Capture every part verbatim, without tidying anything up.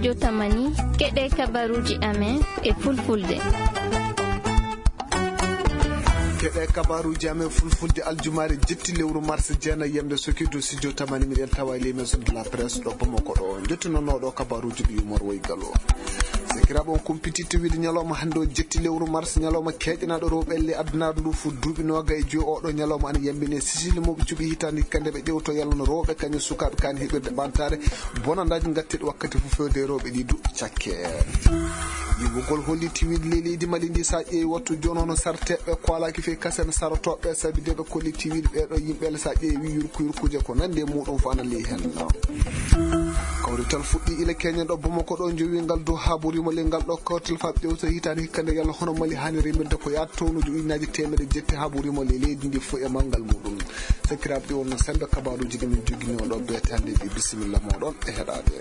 Jotamani, keɗe kabaruuji amen e fulfulde. Keɗe kabaruuji amen fulfulde aljumaare jetti lewru mars jeenayi yamde soki dow studio tamani miɗen tawa e les maisons de la presse ɗo Bamako ɗo. Jottinonooɗo kabaruuji ɓe yumor woy galo. Sakiraaɓe on kumpititte wiide ñalawma hannde o jetti lewru mars, ñalawma keeƴanaaɗo rewɓe elle addunaare ndu fof duuɓi nooga e joyi. Oɗo ñalawma ana yambine sisili mawɓe cuɓi hitaande hikka nde ɓe ƴewto yalla no rewɓe kañum sukaaɓe kaani heɓirde ɓamtaare bonandaaji ngatteɗi wakkati fof fewde e rewɓe ɗi duuɓi cakke. Yimɓugol holli tiwiɗe ley leydi Mali ndi sa ƴeewi wattu jooni hono sarteɓe koalaaki fey kasen sarotooɓe sabi de ɓe kolli tiwiɗe ɓeɗo yimɓe ele sa ƴeewi yurku yurkuje ko nandi e muɗum fof ana ley hen. Kawrital fuɗɗi ila keñen ɗo Bamako ɗo jowi ngal dow haburimo le ngal ɗo kawrital fa ƴewta hitaande hikka nde yalla hono Mali haani remirde ko yaata townuji ujunnaaji teemedde jetti haburimo le leydi ndi fof e manngal muɗum. Sakiraaɓe ɗi wonno sembe kabaruuji ɗi min jogini on ɗo beetande ɗi bisimilla moɗon e heɗaade.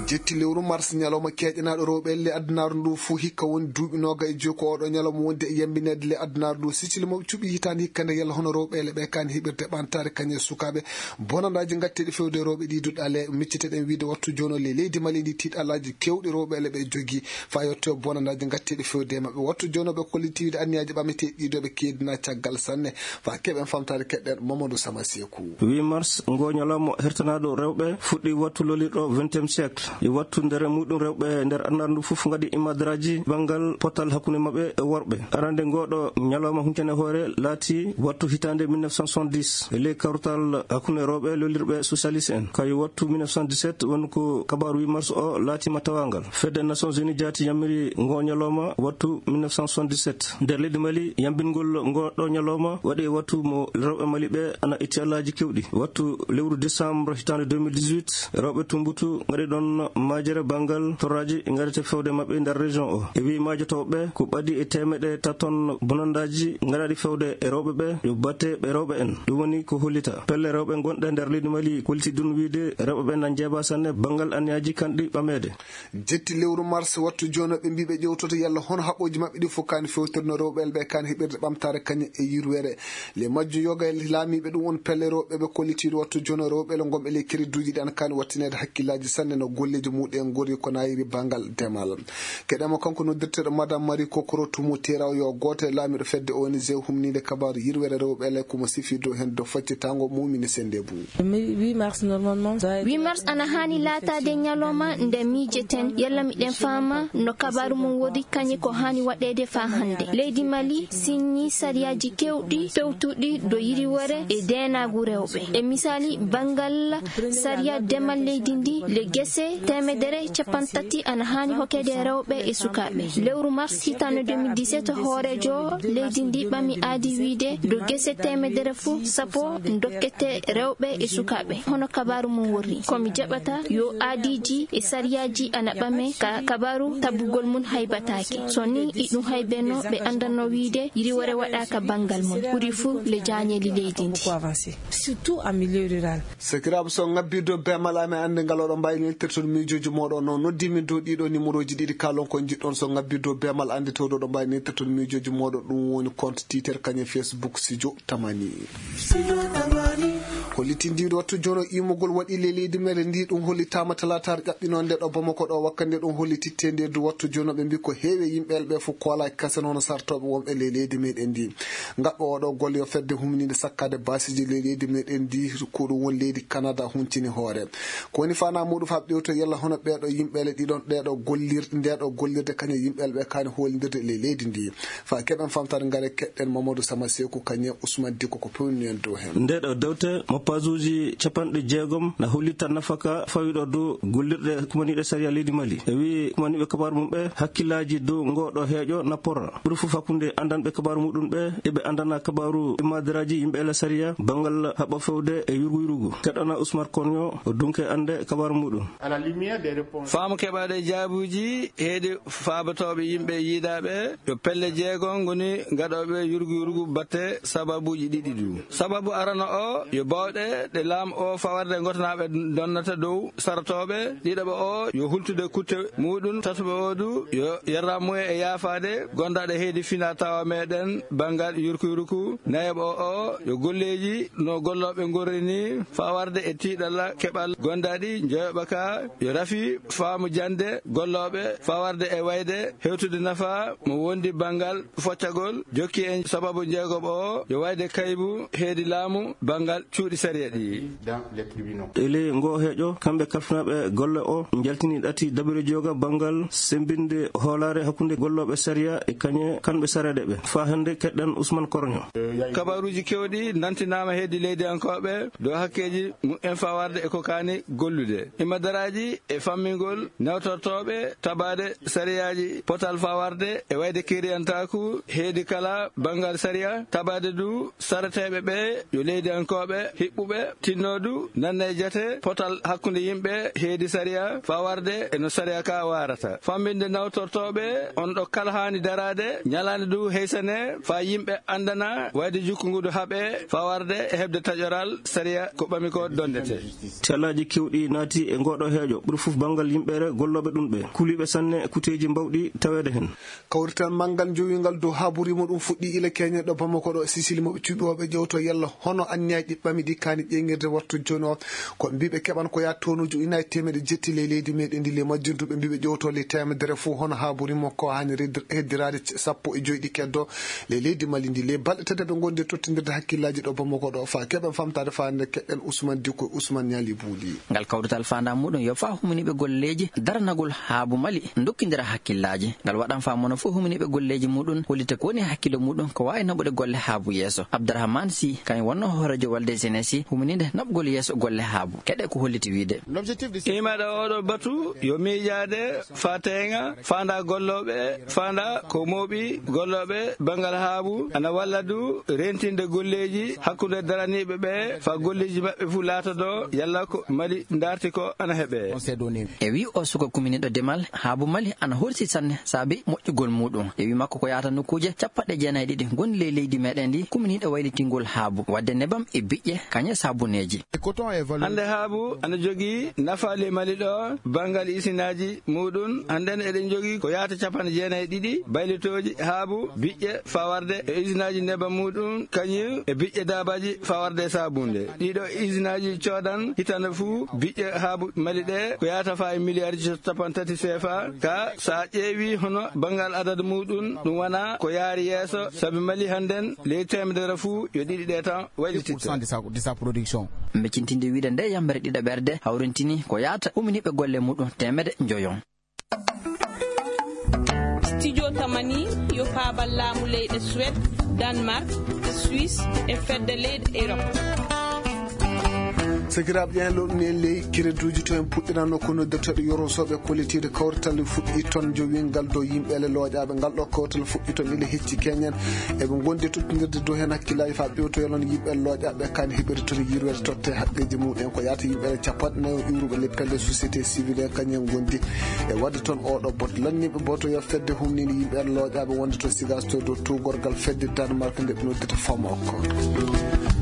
Jetti lewru mars ñalawma keeƴanaaɗo rewɓe elle addunaare ndu fof hikka woni duuɓi nooga e joyi ko oɗo ñalawma wonde e yambineede le addunaare ndu sicili mawɓe cuɓi hitaande hikka nde yalla hono rewɓe ele ɓe kaani heɓirde ɓamtaare kañum e sukaaɓe bonandaaji ngatteɗi fewde rewɓe ɗi duɗale micciteɗen wiide wattu jooni o le leydi Mali ndi tiiɗalaaji kewɗi rewɓe ele ɓe jogii fa yetto bonandaaji ngatteɗi fewde e maɓɓe wattu jooni o ɓe kollitiiɗe anniyaaji ɓameteeɗi ɗiɗo ɓe keedina caggal sanne fa keɓen famtaade keɗɗen Mamadou Sama Seeku. Huit mars ngo ñalawma hertanaaɗo rewɓe fuɗɗi wattu lolirɗo vingtième siècle e wattu nder muɗum rewɓe nder annar ndu fof ngaɗi imadraji banngal potal hakkunde maɓɓe e worɓe. Arande ngoɗo ñalawma huncane hoore laati wattu hitaande mille neuf cent soixante-dix e ley kawtal hakkunde rewɓe lolirɓe socialiste en kayo wattu mille neuf cent dix-sept won ko kabaru huit mars o laatima tawangal. Fedde Nations Unies jaati yamiri ngo ñalawma wattu mille neuf cent soixante-dix-sept. Nder leydi Mali yambingol ngoɗo ñalawma waɗi e wattu mo rewɓe Mali ɓe ana itti alaji kewɗi wattu lewru décembre hitaande deux mille dix-huit rewɓe Tumbutu ngaɗi ɗon majere banngal torraji ngaɗete fewde maɓɓe nder région o e wi majotooɓe ko ɓadi e temeɗe taton bonandaji ngaɗaɗi fewde e rewɓe ɓe yo batte ɓe rewɓe en. Ɗum woni ko hollita pelle rewɓe gonɗe nder leydi Mali kolliti ɗum wiide rewɓe ɓe na njeeba sanne banngal anniyaji kanɗi ɓameede. Jetti lewru mars wattu jooni ɓe mbi ɓe ƴewtoto yalla hono haɓɓooji maɓɓe ɗi fof kaani fewtirno rewɓe ele ɓe kaani heɓirde ɓamtaare kañum e yirwere. Le majjo yoga e laamiiɓe ɗum won pelle rewɓe ɓe kollitiiɗo wattu jooni rewɓe ele gomɓe ley keriduuji ɗi ana kaani wattineede hakkillaaji sanne no golleeji muɗum en ngori ko nayiri banngal demal. Keɗema kanko noddirteeɗo madame Marie Kokoro Tumu Teraw yo gooto e laamiiɗo fedde O N G humniinde kabaaru yirwere rewɓe ele ko mo sifi dow heen dow faccitango mumini sennde bum. Huit mars ana haani laataade ñalawma nde miijeten yalla miɗen faama no kabaaru mum woni kañum ko haani waɗeede faa hannde. Leydi Mali siññii sariyaaji keewɗi pewtuɗi dow yiriwere e deenaagu rewɓe. E misaali, banngal sariya demal leydi ndi, le gese teemedere capanɗe tati ana haani hokkeede rewɓe e sukaaɓe. Lewru mars hitaande deux mille dix-sept hooreejo leydi ndi ɓami aadi wiyde dow gese teemedere fof sappo dokkete rewɓe e sukaaɓe. Hono kabaaru mum worri, ko mi jaɓata yo aadiiji e sariyaaji ana ɓame ka kabaaru tabbugol mum haybataake. So ni iɗum haybeno ɓe anndanno wiyde yiriwere waɗaaka banngal mum, ɓuri fuu le jaañeeli leydi ndi. Surtout en milieu rural. Sakiraaɓe, so ngabbirde o beemal amen annde ngal oɗo mbawi neltirtol miijooji mooɗon noon noddi min dow ɗiɗo numéroji ɗiɗi kalon ko jiɗɗon so ngabbirde o beemal annde tawde oɗo mbawi neltirtol miijooji mooɗon ɗum woni compte Twitter kañum Facebook Sijo Tamani. Hollitindiiɗo wattu jono imugol waɗi le leydi mere ndi ɗum hollitaama talaataare ƴaɓɓinoo nde ɗo Bamako ɗo wakkande ɗum hollititte nde du wattu jono ɓe mbi ko heewi yimɓe elɓe fof koolaki kasen hono sartooɓe wonɓe le leydi meɗen ndi. Ngaɗɗo oɗo golle yo fedde humninde sakkaade baasiji le leydi meɗen ndi ko ɗum woni leydi Canada huncini hoore. Ko woni fana muɗum fa ɓewto yalla hono ɓeɗo yimɓe ele ɗiɗon ɗeɗo gollir ndeɗo gollirde kañum yimɓe elɓe kani holindirde le leydi ndi. Fa keɓen famtare ngare keɗɗen Mamadou Sama Seku kañum Ousmane Diko ko pewni en dow hen. Ndeɗo dewte mo pasuji capanɗe jeegom na hollita nafaka fawiɗo dow gollirɗe kumaniɗe sariya leydi Mali. E wi kumaniɓe kabaru mum ɓe hakkillaji dow ngoɗo heeƴo na porra. Ɓuri fof hakkunde andanɓe kabaru muɗum ɓe eɓe andana kabaru imadiraji yimɓe ela sariya bangal haɓa fewde e yurgu yurgu. Keɗɗana Ousmane Konyo o dunke ande kabaru muɗum. Faamu keɓaaɗo e jaabuuji heedi faabatooɓe yimɓe yiidaaɓe yo pelle jeego ngoni gaɗooɓe yurgu yurgu batte sababuuji ɗiɗi du. Sababu arano o yo baawɗe ɗe laamu o fawarde gotanaaɓe donnata dow sarotooɓe, ɗiɗaɓo o yo hultude kutte muuɗum, tataɓo o du yo yerramuye e yaafaade gondaaɗo heedi fina tawa meɗen banngal yurku yurku, nayaɓo o yo golleeji no gollooɓe ngorri ni fawarde e tiiɗalla keɓal gondaaɗi njoyoɓa ka yo rafi faamu jande gollooɓe fawarde e wayde hewtude nafa mo wondi banngal foccagol jokki en sababu jeegoɓo o yo wayde kaybu heedi laamu banngal cuuɗi sariya ɗi. E ley ngoo heeƴo, kamɓe kalfinaaɓe golle o njaltini ɗati dabere jooga banngal semmbinde hoolaare hakkunde gollooɓe sariya e kañe kamɓe sareedeɓe. Faa hannde keɗɗen Usman Koroño. Kabaruuji kewɗi nantinaama heedi leydiyankooɓe dow hakkeeji mumen fawarde e ko kaani gollude. Imadaraaji e fammingol nawtortooɓe tabaade sariyaaji potal fawarde e wayde kiriyantaaku heedi kala banngal sariya tabaade du sareteeɓe ɓe yo leydiyankooɓe hiɓɓuɓe tinnoodu nanna e jate potal hakkunde yimɓe heedi sariya fawarde e no sariya ka waarata. Fammbinde nawtortooɓe on ɗo kala haani daraade ñalaande du heysane faa yimɓe anndana wayde jukku ngu du haɓe fawarde e heɓde taƴoral sariya ko ɓami ko dondete. Tellaaji kewɗi naati e ngooɗo heeƴo, ɓuri fof banngal yimɓere gollooɓe ɗum ɓe. Kuliiɓe sanne e kuteeji mbawɗi taweede heen. Kawrital manngal njowiingal dow haaburi muɗum fuɗɗii ila keñe ɗo Bamako ɗo, Sisili mo ɓe cuɓi o ɓe ƴewto yalla hono anniyaaji ɗi ɓami ɗi kaani ƴeeŋirde wattu jooni o. Ko ɓe mbii ɓe keɓan ko yaha toonuuji ujunaaji teemedde jetti ley leydi meɗen ndi, ley majjum du ɓe mbii ɓe ƴewto ley teemedere fof hono haaburi mo ko haani heddiraade sappo e joy ɗi keddo ley leydi Mali ndi. Ley balɗe tati ɓe ngondi e tottindirde hakkillaaji ɗo Bamako ɗo faa keɓen famtaade faa nde keɗɗen Ousmane Dicko e Ousmane Niali Bouli. Ngal kawrital faandaa muuɗum yo faa huminiiɓe golleeji daranagol haabu Mali ndokkindira hakkillaaji. Ngal waɗan faa mono fof huminiiɓe golleeji muuɗum hollita ko woni hakkillo muuɗum ko waawi naɓude golle haabu yeeso. Abdourahmane Sy kañum wonno hooreejo walde jeunesse huminiinde naɓugol yeeso golle haabu. Keɗe ko holliti wiyde. Imaɗo oɗo batu yo miijaade faa teeŋa faandaa gollooɓe faandaa ko mooɓi gollooɓe banngal haabu ana walla du rentinde golleeji hakkunde daraniiɓe ɓe faa golleeji maɓɓe fof laatodo yalla ko Mali ndaarti ko ana heɓe. E wii o suka kuminiiɗo demal haabu Mali ana horsi sanne saabi moƴƴugol muuɗum. E wii makko ko yahata nokkuuje capanɗe jeenayi e ɗiɗi ngonɗi ley leydi meɗen ndi kuminiiɗo waylitingol haabu waɗde nebam e biƴƴe kañe saabuneeji. Hannde haabu ana jogii nafa ley Mali ɗo banngal isinaaji muuɗum. Hannden eɗen njogii ko yahata capanɗe jeenayi e ɗiɗi baylitooji haabu biƴƴe fawarde e isinaaji nebam muuɗum kañum e biƴƴe daabaaji fawarde e saabunde. Ɗiɗo isinaaji coodan hitande fuu biƴƴe haabu Mali ɗe ko yahata faa e miliyaarji capanɗe tati seefa ka so a ƴeewi hono banngal adadu muuɗum ɗum wona ko yaari yeeso sabi Mali hannden ley teemedere fuu yo ɗiɗi ɗe tan waylititta. Mbeccintinde wiyde nde yambere ɗiɗaɓerde hawrintini ko yahata huminiiɓe golle muuɗum teemedde njoyon. Studio Tamani yo paabal laamu leyɗe Suède, Danemark, Suisse e fedde leyɗe Europe. Sakiraaɓe ƴeen loɗuni en ley kireduuji to en puɗɗirano ko noddirteeɗo yorosooɓe kollitiiɗo kawrital fuɗɗi toon jowiingal dow yimɓeele looƴaaɓe. Ngal ɗo kawrital fuɗɗi toon ila hecci keñen eɓe ngondi tottindirde dow heen hakkillaaji faa ɓewtoyal on yimɓeele looƴaaɓe kaani heɓirde toon yirwere totte haqqeeji muɗum en ko yaata yimɓeele capanɗe nayo iwruɓe le pelle société civile en kañum en ngondi e waɗde toon oɗo bot lanniɓe boto yo fedde humnini yimɓeele looƴaaɓe wonde to sigas to dow tuugorgal fedde Danemark nde ɓe noddita famoko.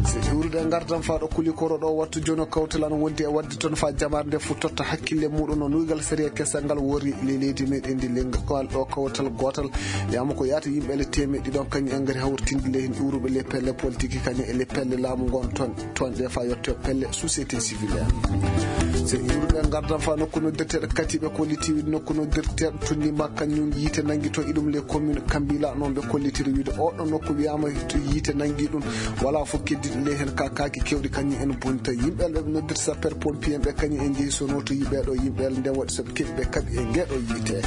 So iwrude e ngardan faa ɗo kuli koro ɗo wattu jono kawtal an wondi e waɗde toon faa jamaare nde fof totta hakkille muɗum no nuygal sariya kesal ngal worri le leydi meɗen ndi lengal ɗo kawtal gootal yama ko yaata yimɓe le temeɗɗi ɗon kañum en ngari hawritinde le hen iwruɓe le pelle politique kañum e le pelle laamu ngon toon toon ɗe faa yetto pelle société civile en. So iwruɓe ngardan faa nokku noddirteeɗo katiɓe ko litiwi nokku noddirteeɗo tunni makka ñun yiite nangi toon iɗum le commune kambila noon ɓe kollitiri wiide oɗo nokku wiyama to yiite nangi ɗum wala fof keddiɗo le hen ka kaaki kewɗi kañum en bonta yimɓe ɓe noddirta sapeur pompier ɓe kañum en jeehi sono to yiɓe ɗo yimɓe nden waɗi soɓe keɓi ɓe kaɓi e ngeɗo yiite.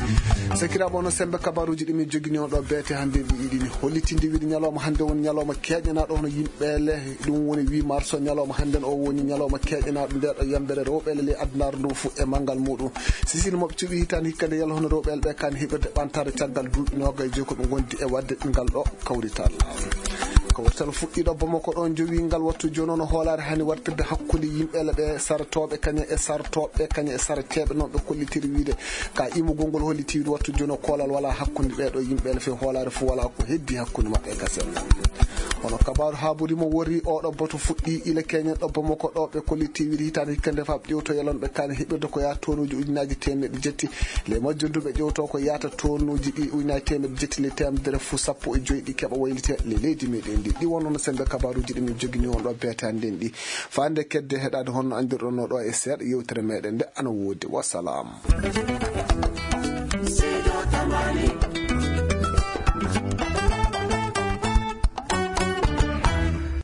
Sakiraɓe ono sembe kabaruji ɗi min jogini on ɗo beete hannde ɗi iɗini hollitinde wiide ñalawma hannde woni ñalawma keeƴanaɗo hono yimɓele ɗum woni huit mars o ñalawma hannden o woni ñalawma keeƴanaaɗo nde ɗo yambere rewɓele ley addunaare ndu fof e manngal muɗum. Sisine moɓe cuɓi hitaande hikka nde yalla hono rewɓele ɓe kaani heɓirde ɓantare caggal duuɓi noga e joyi ko ɓe ngondi e waɗde ngal ɗo kawrital. Kawrital fuɗɗiiɗo Bamako ɗo jowi ngal wattu jooni, hoolaare hani wartirde hakkunde yimɓe ɓe saratooɓe kañe e sartooɓe kañe e sarateeɓe, noon ɓe kollitiri wiide ka imugol ngol holliti wiide wattu jooni koolal wala hakkunde ɓeeɗo yimɓe ɓe, hoolaare fof wala ko heddi hakkunde maɓɓe e gasel. Hono kabaaru haaburi mo wori oɗo bato fuɗɗi ila keñen ɗo Bamako ɗo, ɓe kolliti wiide hitaande hikka nde faab ƴewto yalon ɓe kaani heɓirde ko yaa tonuuji ujunaaji teemeɗe jetti. Le majjum du ɓe ƴewto ko yaata tonuuji ɗi ujunaaji teemeɗe jetti le teemedere fuu sappo e joyi ɗi keɓa waylite le leydi meɗen ndi. Ɗi wonno no sembe kabaaruuji ɗi min jogini on ɗo beetande nden ɗi. Faa nde kedde heɗaade honno anndirɗon no ɗo e seeɗa yewtere meɗen nde ana woodi. Wasalaam.